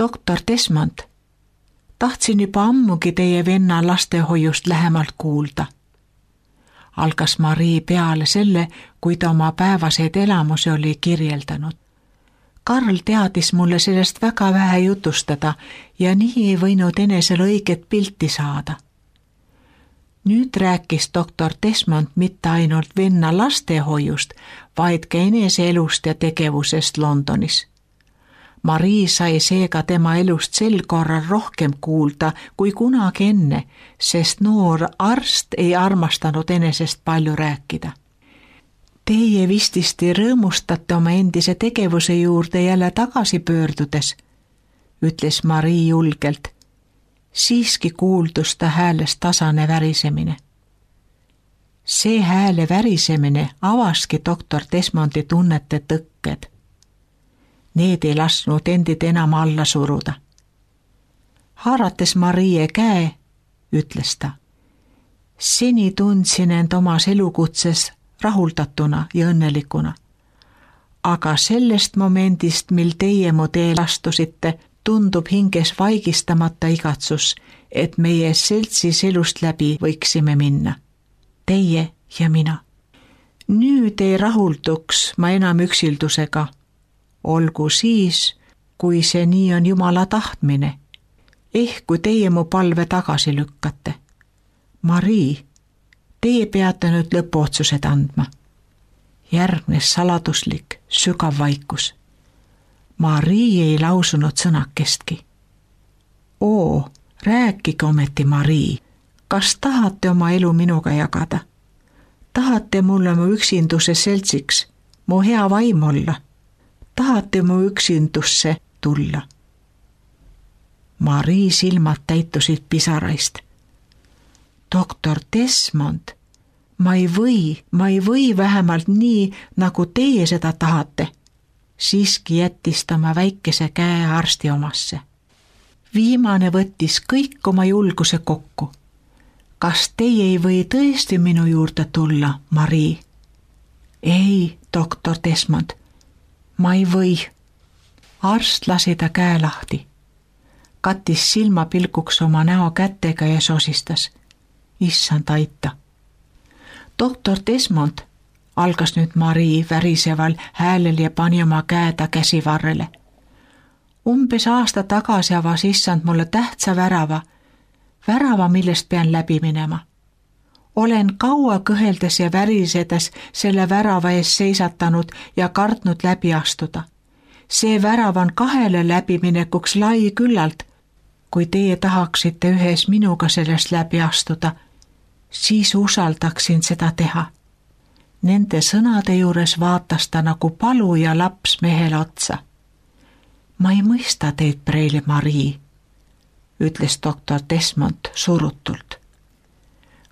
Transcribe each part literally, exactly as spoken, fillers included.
doktor Desmond, tahtsin juba ammugi teie venna lastehoiust lähemalt kuulda. Algas Marii peale selle, kui ta oma päevaseid elamusi oli kirjeldanud. Karl teadis mulle sellest väga vähe jutustada ja nii ei võinud enesel õiget pilti saada. Nüüd rääkis doktor Desmond mitte ainult venna lastehoiust, vaid ka enese elust ja tegevusest Londonis. Marii sai seega tema elust sel korral rohkem kuulda kui kunagi enne, sest noor arst ei armastanud enesest palju rääkida. Teie vististi rõõmustate oma endise tegevuse juurde jälle tagasi pöördudes, ütles Marii julgelt. Siiski kuuldus ta häälest tasane värisemine. See hääle värisemine avaski doktor Desmondi tunnete tõkked. Need ei lasknud endid enam alla suruda. Haarates Marie käe, ütles ta. Seni tundsin end omas elukutses rahuldatuna ja õnnelikuna. Aga sellest momendist, mil teie mu teel astusite, tundub hinges vaigistamata igatsus, et meie seltsis elust läbi võiksime minna. Teie ja mina. Nüüd ei rahulduks ma enam üksildusega. Olgu siis, kui see nii on Jumala tahtmine. Ehk kui teie mu palve tagasi lükkate. Marii, teie peate nüüd lõpuotsused andma. Järgnes saladuslik, sügav vaikus. Marii ei lausunud sõnakestki. Oo, rääkige ometi, Marii. Kas tahate oma elu minuga jagada? Tahate mulle mu üksinduse seltsiks, mu hea vaim olla? Tahate mu üksindusse tulla? Marii silmad täitusid pisaraist. Doktor Desmond, ma ei või, ma ei või vähemalt nii, nagu teie seda tahate. Siiski jättis ta oma väikese käe arsti omasse. Viimane võttis kõik oma julguse kokku. Kas teie ei või tõesti minu juurde tulla, Marii? Ei, doktor Desmond, ma ei või. Arst lasi ta käe lahti. Kattis silmapilguks oma näo kätega ja sosistas. Issand aita. Doktor Desmond, algas nüüd Marii väriseval häälel ja pani oma käe ta käsivarrele. Umbes aasta tagasi avas issand mulle tähtsa värava, värava, millest pean läbi minema. Olen kaua kõheldes ja värisedes selle värava ees seisatanud ja kartnud läbi astuda. See värav on kahele läbiminekuks lai küllalt. Kui teie tahaksite ühes minuga sellest läbi astuda, siis usaldaksin seda teha. Nende sõnade juures vaatas ta nagu paluja laps mehele otsa. Ma ei mõista teid, preili Marii, ütles doktor Desmond surutult.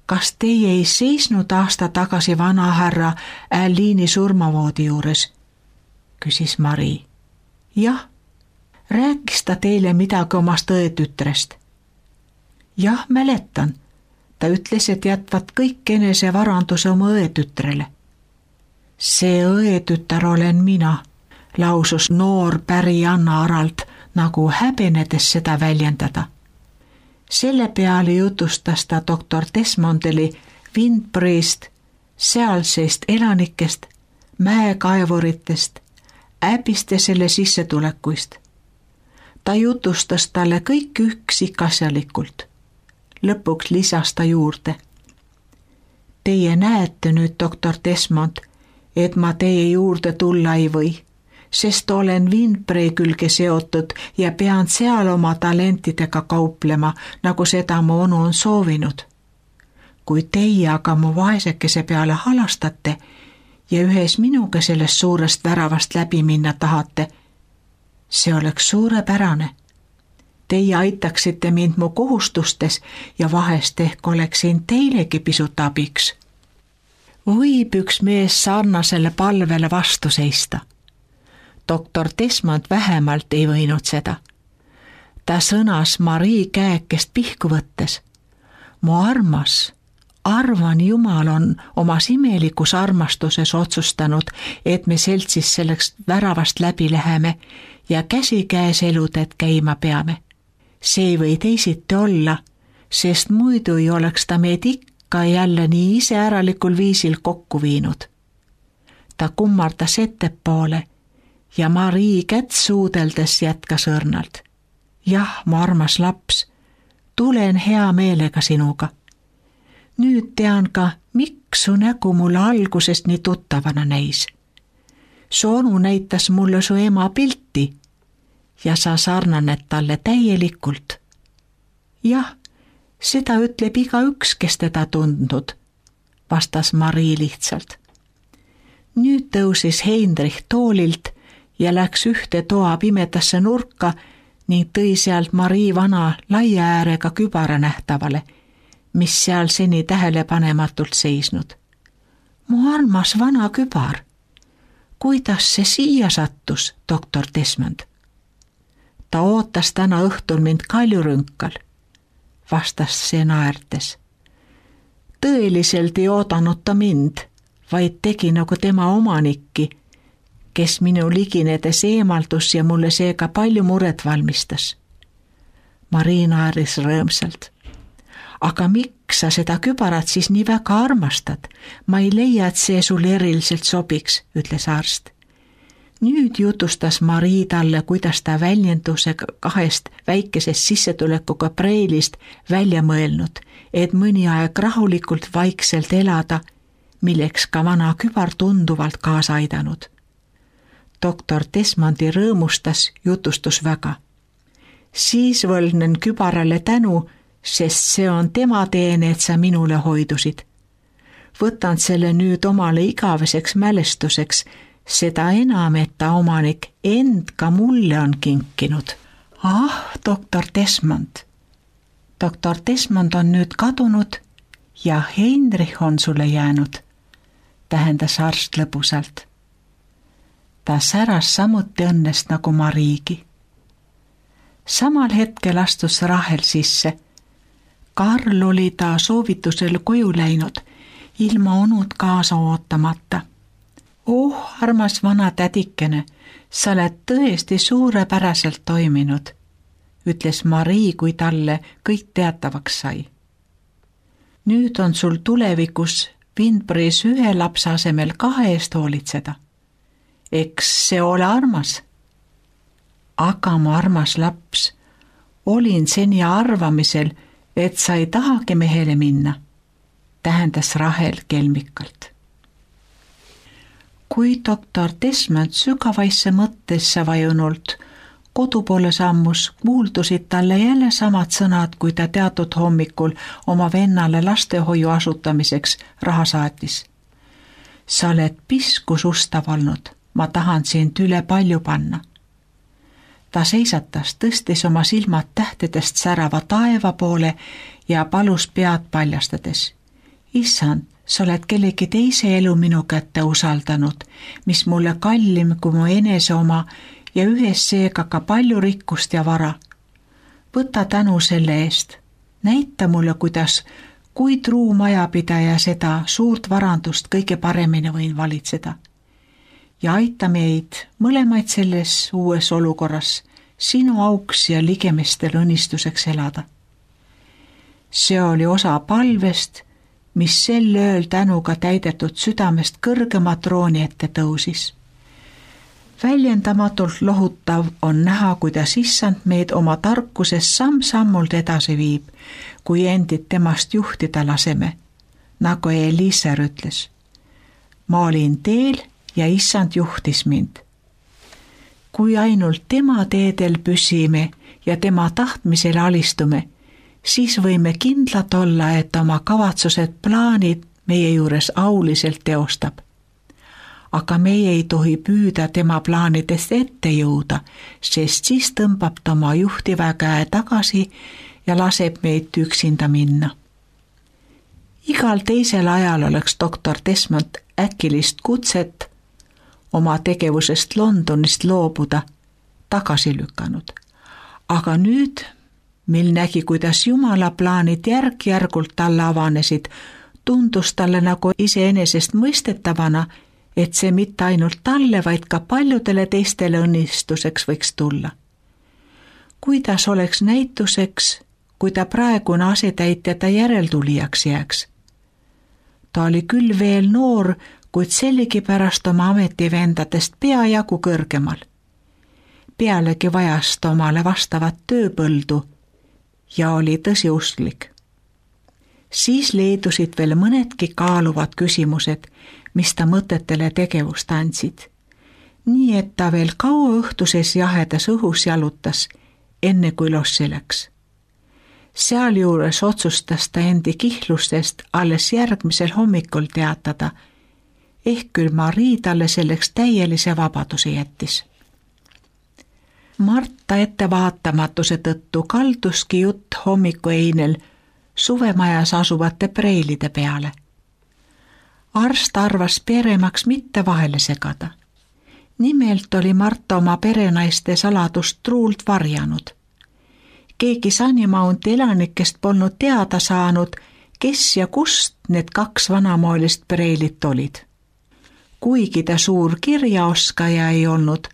Kas teie ei seisnud aasta tagasi vanahärra Aliini surmavoodi juures? Küsis Marii. Jah, rääkis ta teile midagi omast õetütrest? Jah, mäletan. Ta ütles, et jätvad kõik enese varanduse oma õetütrele. See õetütar olen mina, lausus noor päri Anna Aralt, nagu häbenedes seda väljendada. Selle peale jutustas ta doktor Desmondeli Windbury'st, sealseist elanikest, mäekaevuritest, äbiste selle sissetulekuist. Ta jutustas talle kõik üksikasjalikult. Lõpuks lisas ta juurde. Teie näete nüüd, doktor Desmond, et ma teie juurde tulla ei või, sest olen Windbury külge seotud ja pean seal oma talentidega kauplema, nagu seda mu onu on soovinud. Kui teie aga mu vaesekese peale halastate ja ühes minuga sellest suurest väravast läbi minna tahate, see oleks suurepärane. Teie aitaksite mind mu kohustustes ja vahest ehk oleksin teilegi pisut abiks. Võib üks mees sarnasele palvele vastu seista. Doktor Desmond vähemalt ei võinud seda. Ta sõnas Marii käekest pihku võttes. Mu armas, arvan Jumal on omas imelikus armastuses otsustanud, et me seltsis selleks väravast läbi läheme ja käsikäes elutet käima peame. See ei või teisiti olla, sest muidu ei oleks ta meid ikka jälle nii iseäralikul viisil kokku viinud. Ta kummardas ettepoole ja Marii kätt suudeldes jätkas õrnalt. Jah, mu armas laps, tulen hea meelega sinuga. Nüüd tean ka, miks su nägu mulle algusest nii tuttavana näis. Su onu näitas mulle su ema pilti ja sa sarnaned talle täielikult. Jah, seda ütleb igaüks, kes teda tundnud, vastas Marii lihtsalt. Nüüd tõusis Heinrich toolilt ja läks ühte toa pimedasse nurka ning tõi sealt Marii vana laia äärega kübara nähtavale, mis seal seni tähelepanematult seisnud. Mu armas vana kübar. Kuidas see siia sattus, doktor Desmond? Ta ootas täna õhtul mind kaljurünkal, vastas see naertes. Tõeliselt ei oodanud ta mind, vaid tegi nagu tema omanikki, kes minu liginedes eemaldus ja mulle seega palju muret valmistas. Marii naeris rõõmsalt. Aga miks sa seda kübarat siis nii väga armastad? Ma ei leia, et see sulle eriliselt sobiks, ütles arst. Nüüd jutustas Marii talle, kuidas ta väljendusega kahest väikesest sissetulekuga preilist välja mõelnud, et mõni aeg rahulikult vaikselt elada, milleks ka vana kübar tunduvalt kaasa aidanud. Doktor Desmondi rõõmustas jutustus väga. Siis võlgnen kübarale tänu, sest see on tema teene, et sa minule hoidusid. Võtan selle nüüd omale igaveseks mälestuseks, seda enam, et ta omanik end ka mulle on kinkinud. Ah, doktor Desmond. Doktor Desmond on nüüd kadunud ja Heinrich on sulle jäänud, tähendas arst lõbusalt. Ta säras samuti õnnest nagu Mariigi. Samal hetkel astus Rahel sisse. Karl oli ta soovitusel koju läinud, ilma onud kaasa ootamata. Oh, armas vana tädikene, sa oled tõesti suurepäraselt toiminud, ütles Marii, kui talle kõik teatavaks sai. Nüüd on sul tulevikus Windbury's ühe lapse asemel kahe eest hoolitseda. Eks see ole armas? Aga mu armas laps, olin seni arvamisel, et sa ei tahagi mehele minna, tähendas Rahel kelmikalt. Kui doktor Desmond sügavaisse mõttesse vajunult kodu poole sammus, kuuldusid talle jälle samad sõnad, kui ta teatud hommikul oma vennale lastehoiu asutamiseks raha saatis. Sa oled piskus ustav olnud, ma tahan sind üle palju panna. Ta seisatas, tõstis oma silmad tähtedest särava taeva poole ja palus pead paljastades. Issand, sa oled kellegi teise elu minu kätte usaldanud, mis mulle kallim kui mu enese oma ja ühes seega ka palju rikkust ja vara. Võta tänu selle eest. Näita mulle, kuidas, kui truu majapidaja seda suurt varandust kõige paremini võin valitseda. Ja aita meid mõlemaid selles uues olukorras sinu auks ja ligemestel õnnistuseks elada. See oli osa palvest, mis sel ööl tänuga täidetud südamest kõrgema trooni ette tõusis. Väljendamatult lohutav on näha, kuidas issand meid oma tarkuses samm-sammult edasi viib, kui endid temast juhtida laseme, nagu Eliiser ütles. Ma olin teel ja issand juhtis mind. Kui ainult tema teedel püsime ja tema tahtmisele alistume, siis võime kindlad olla, et oma kavatsused, plaanid meie juures auliselt teostab. Aga meie ei tohi püüda tema plaanidest ette jõuda, sest siis tõmbab ta oma juhtiva käe tagasi ja laseb meid üksinda minna. Igal teisel ajal oleks doktor Desmond äkilist kutset oma tegevusest Londonist loobuda tagasi lükanud. Aga nüüd, mil nägi, kuidas Jumala plaanid järk-järgult talle avanesid, tundus talle nagu iseenesest mõistetavana, et see mitte ainult talle, vaid ka paljudele teistele õnnistuseks võiks tulla. Kuidas oleks näituseks, kui ta praegune asetäitja ta järeltulijaks jääks? Ta oli küll veel noor, kuid sellegipärast oma ametivendadest peajagu kõrgemal. Pealegi vajas ta omale vastavat tööpõldu ja oli tõsiusklik. Siis leidusid veel mõnedki kaaluvad küsimused, mis ta mõtetele tegevust andsid. Nii et ta veel kaua õhtuses jahedas õhus jalutas, enne kui lossi läks. Sealjuures otsustas ta endi kihlustest alles järgmisel hommikul teatada, ehk küll Marii talle selleks täielise vabaduse jättis. Marta ettevaatamatuse tõttu kalduski jutt hommikueinel suvemajas asuvate preilide peale. Arst arvas peremaks mitte vahele segada. Nimelt oli Marta oma perenaiste saladust truult varjanud. Keegi Sunnymounti elanikest polnud teada saanud, kes ja kust need kaks vanamoelist preilit olid. Kuigi ta suur kirjaoskaja ei olnud,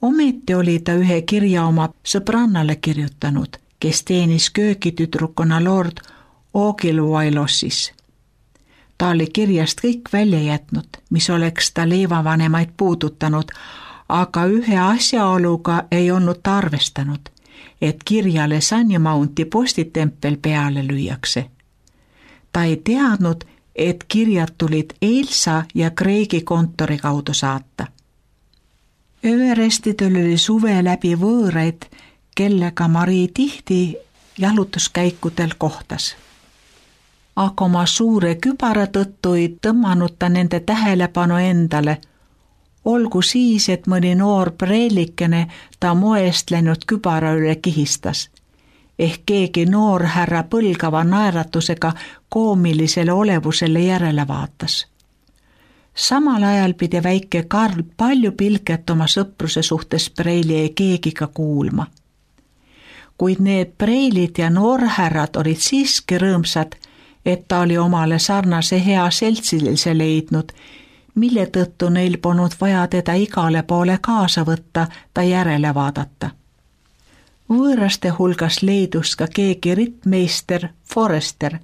ometi oli ta ühe kirja oma sõbrannale kirjutanud, kes teenis köögitüdrukuna Lord Ogilwylossis. Ta oli kirjast kõik välja jätnud, mis oleks ta leivavanemaid puudutanud, aga ühe asjaoluga ei olnud ta arvestanud, et kirjale Sunnymounti postitempel peale lüüakse. Ta ei teadnud, et kirjad tulid Ailsa ja Craigi kontori kaudu saata. Everestidel oli suve läbi võõraid, kellega Marii tihti jalutuskäikudel kohtas. Aga oma suure kübara tõttu ei tõmmanud ta nende tähelepanu endale, olgu siis, et mõni noor preelikene ta moest läinud kübara üle kihistas, ehk keegi noor härra põlgava naeratusega koomilisele olevusele järele vaatas. Samal ajal pidi väike Karl palju pilket oma sõpruse suhtes preili ei keegiga kuulma. Kuid need preilid ja noorhärrad olid siiski rõõmsad, et ta oli omale sarnase hea seltsilise leidnud, mille tõttu neil polnud vaja teda igale poole kaasa võtta, ta järele vaadata. Võõraste hulgas leidus ka keegi rittmeister Forrester,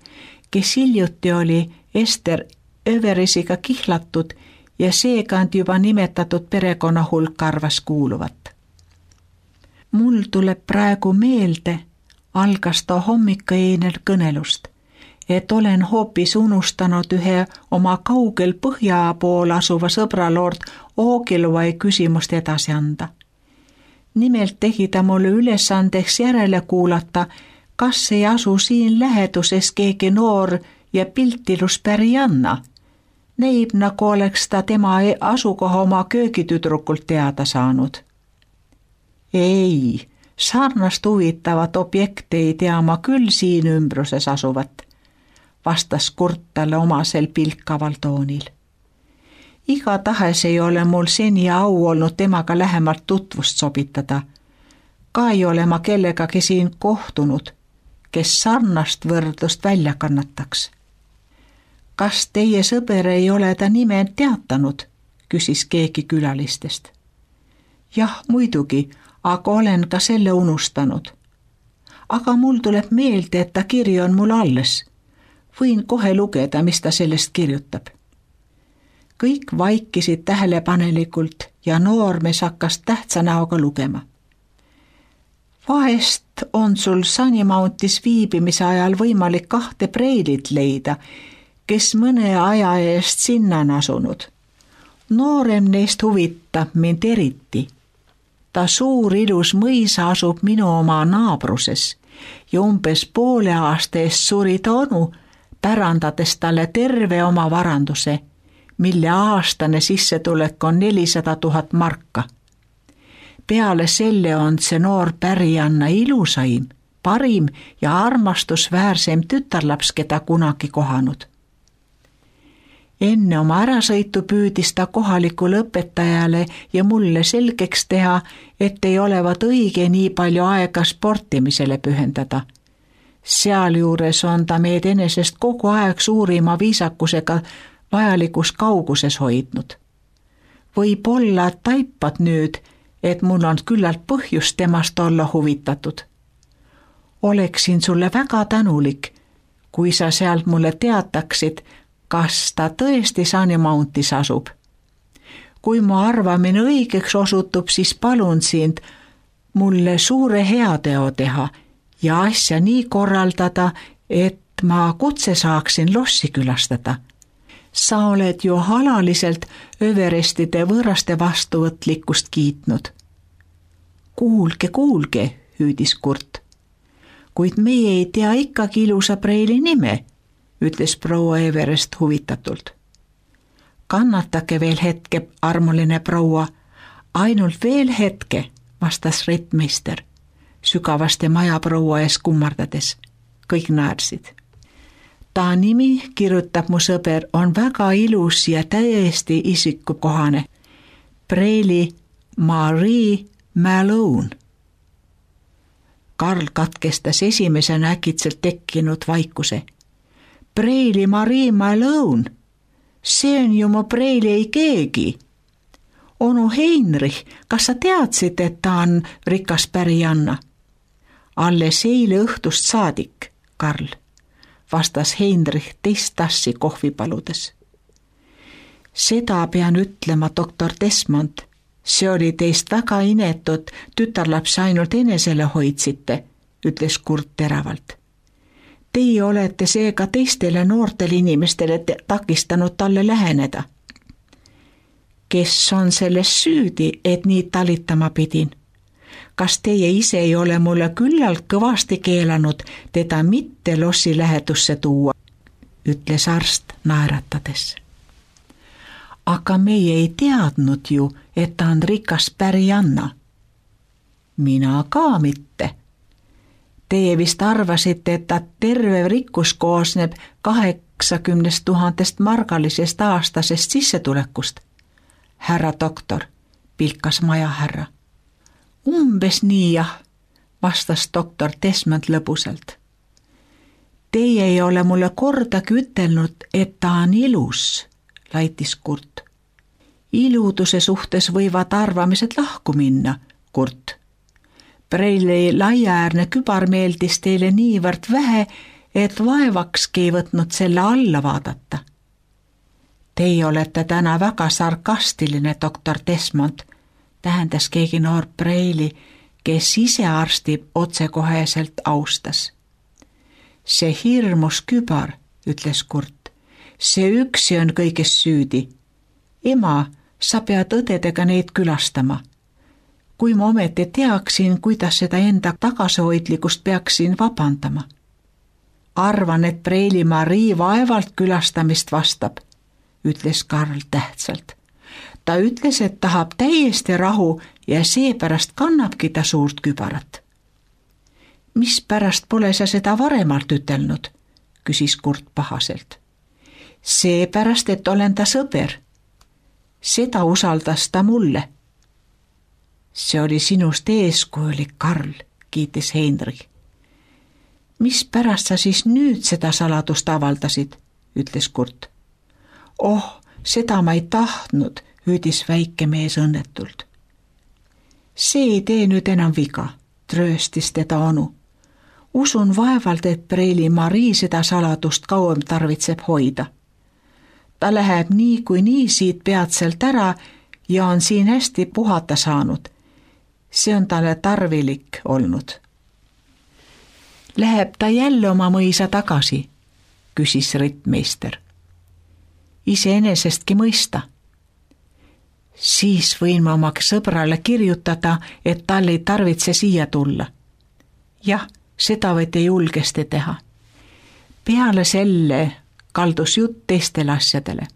kes hiljuti oli Ester Överisiga kihlatud ja seekand juba nimetatud perekonna hulk arvas kuuluvat. Mul tuleb praegu meelde, algas ta hommikueinel kõnelust, et olen hoopis unustanud ühe oma kaugel põhja pool asuva sõbra Lord Ogilwy küsimust edasi anda. Nimelt tegi ta mulle ülesandeks järele kuulata, kas ei asu siin läheduses keegi noor ja piltilus pärianna. Neib nagu oleks ta tema asukoha oma köögitüdrukult teada saanud. Ei, sarnast huvitavat objekti ei tea ma küll siin ümbruses asuvat, vastas Kurt talle omasel pilkaval toonil. Igatahes ei ole mul seni au olnud temaga lähemalt tutvust sobitada. Ka ei ole ma kellegagi siin kohtunud, kes sarnast võrdlust välja kannataks. Kas teie sõber ei ole ta nime teatanud, küsis keegi külalistest. Jah, muidugi, aga olen ka selle unustanud. Aga mul tuleb meelde, et ta kiri on mul alles. Võin kohe lugeda, mis ta sellest kirjutab. Kõik vaikisid tähelepanelikult ja noormees hakkas tähtsa näoga lugema. Vahest on sul Sunnymountis viibimise ajal võimalik kahte preilit leida, kes mõne aja eest sinna on asunud. Noorem neist huvitab mind eriti. Ta suur ilus mõisa asub minu oma naabruses ja umbes poole aasta eest suri ta onu, pärandades talle terve oma varanduse, mille aastane sissetulek on nelisada tuhat marka. Peale selle on see noor pärianna ilusaim, parim ja armastusväärsem tütarlaps, keda kunagi kohanud. Enne oma ärasõitu püüdis ta kohalikule õpetajale ja mulle selgeks teha, et ei olevat õige nii palju aega sportimisele pühendada. Sealjuures on ta meid enesest kogu aeg suurima viisakusega vajalikus kauguses hoidnud. võib-olla taipad nüüd, et mul on küllalt põhjust temast olla huvitatud. Oleksin sulle väga tänulik, kui sa sealt mulle teataksid, kas ta tõesti Sunny Mountis asub. Kui mu arvamine õigeks osutub, siis palun sind mulle suure heateo teha ja asja nii korraldada, et ma kutse saaksin lossi külastada. Sa oled ju alaliselt Everestide võõraste vastuvõtlikkust kiitnud. Kuulge, kuulge, hüüdis Kurt. Kuid meie ei tea ikkagi ilusa preili nime, ütles proua Everest huvitatult. Kannatake veel hetke, armuline proua, ainult veel hetke, vastas rittmeister, sügavasti majaproua ees kummardades. Kõik naersid. Ta nimi, kirjutab mu sõber, on väga ilus ja täiesti isikukohane. Preili Marie Malone. Karl katkestas esimesena äkitselt tekkinud vaikuse. Preili Marie Malone, see on ju mu preili ei keegi. Onu Heinrich, kas sa teadsid, et ta on rikas pärijanna? Alles eile õhtust saadik, Karl, vastas Heinrich teist tassi kohvi paludes. Seda pean ütlema, doktor Desmond, see oli teist väga inetud, tütarlapse ainult enesele hoidsite, ütles Kurt teravalt. Teie olete seega teistele noortele inimestele takistanud talle läheneda. Kes on selles süüdi, et nii talitama pidin? Kas teie ise ei ole mulle küllalt kõvasti keelanud teda mitte lossi lähedusse tuua, ütles arst naeratades. Aga meie ei teadnud ju, et ta on rikas pärijanna. Mina ka mitte. Teie vist arvasite, et ta terve rikkus koosneb kaheksakümnest tuhandest margalisest aastasest sissetulekust. Härra doktor, pilkas majahärra. Umbes nii jah, vastas doktor Desmond lõbusalt. Teie ei ole mulle kordagi ütelnud, et ta on ilus, laitis Kurt. Iluduse suhtes võivad arvamised lahku minna, Kurt. Preili laiaäärne kübar meeldis teile niivõrd vähe, et vaevakski ei võtnud selle alla vaadata. Teie olete täna väga sarkastiline, doktor Desmond, tähendas keegi noor Preili, kes ise arsti otsekoheselt austas. See hirmus kübar, ütles Kurt, see üksi on kõiges süüdi. Ema, sa pead õdedega neid külastama. Kui ma ometi teaksin, kuidas seda enda tagasihoidlikust peaksin vabandama. Arvan, et Preili Marie vaevalt külastamist vastab, ütles Karl tähtsalt. Ta ütles, et tahab täiesti rahu ja seepärast kannabki ta suurt kübarat. Mispärast pole sa seda varemalt ütelnud, küsis Kurt pahaselt. Seepärast, et olen ta sõber. Seda usaldas ta mulle. See oli sinust eeskujulik, Karl, kiitis Heinrich. Mispärast sa siis nüüd seda saladust avaldasid, ütles Kurt. Oh, seda ma ei tahtnud, hüüdis väike mees õnnetult. See ei tee nüüd enam viga, trööstis teda onu. Usun vaevalt, et Preili Marie seda saladust kauem tarvitseb hoida. Ta läheb nii kui nii siit peatselt ära ja on siin hästi puhata saanud. See on talle tarvilik olnud. Läheb ta jälle oma mõisa tagasi, küsis rittmeister. Iseenesestki mõista. Siis võin ma oma sõbrale kirjutada, et tal ei tarvitse siia tulla. Jah, seda võite julgesti teha. Peale selle kaldus jutt teistele asjadele.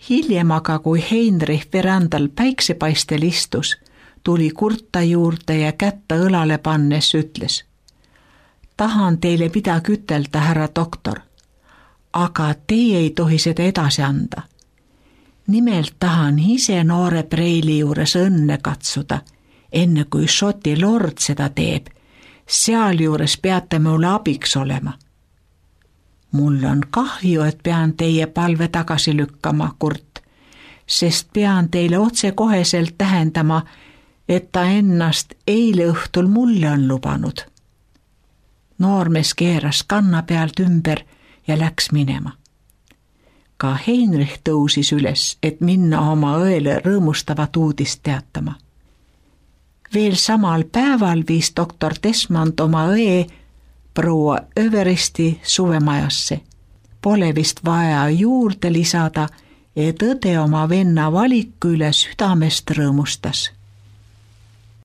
Hiljem aga, kui Heinrich verandal päiksepaistel istus, tuli Kurta juurde ja kätte õlale pannes ütles. Tahan teile midagi ütelda, härra doktor, aga teie ei tohi seda edasi anda. Nimelt tahan ise noore Preili juures õnne katsuda, enne kui Šoti lord seda teeb. Sealjuures peate mulle abiks olema. Mul on kahju, et pean teie palve tagasi lükkama, Kurt. sest pean teile otsekoheselt tähendama, et ta ennast eile õhtul mulle on lubanud. Noormees keeras kanna pealt ümber ja läks minema. Ka Heinrich tõusis üles, et minna oma õele rõõmustavat uudist teatama. Veel samal päeval viis doktor Desmond oma õe proua Everesti suvemajasse. Pole vist vaja juurde lisada, et õde oma venna valiku üle südamest rõõmustas.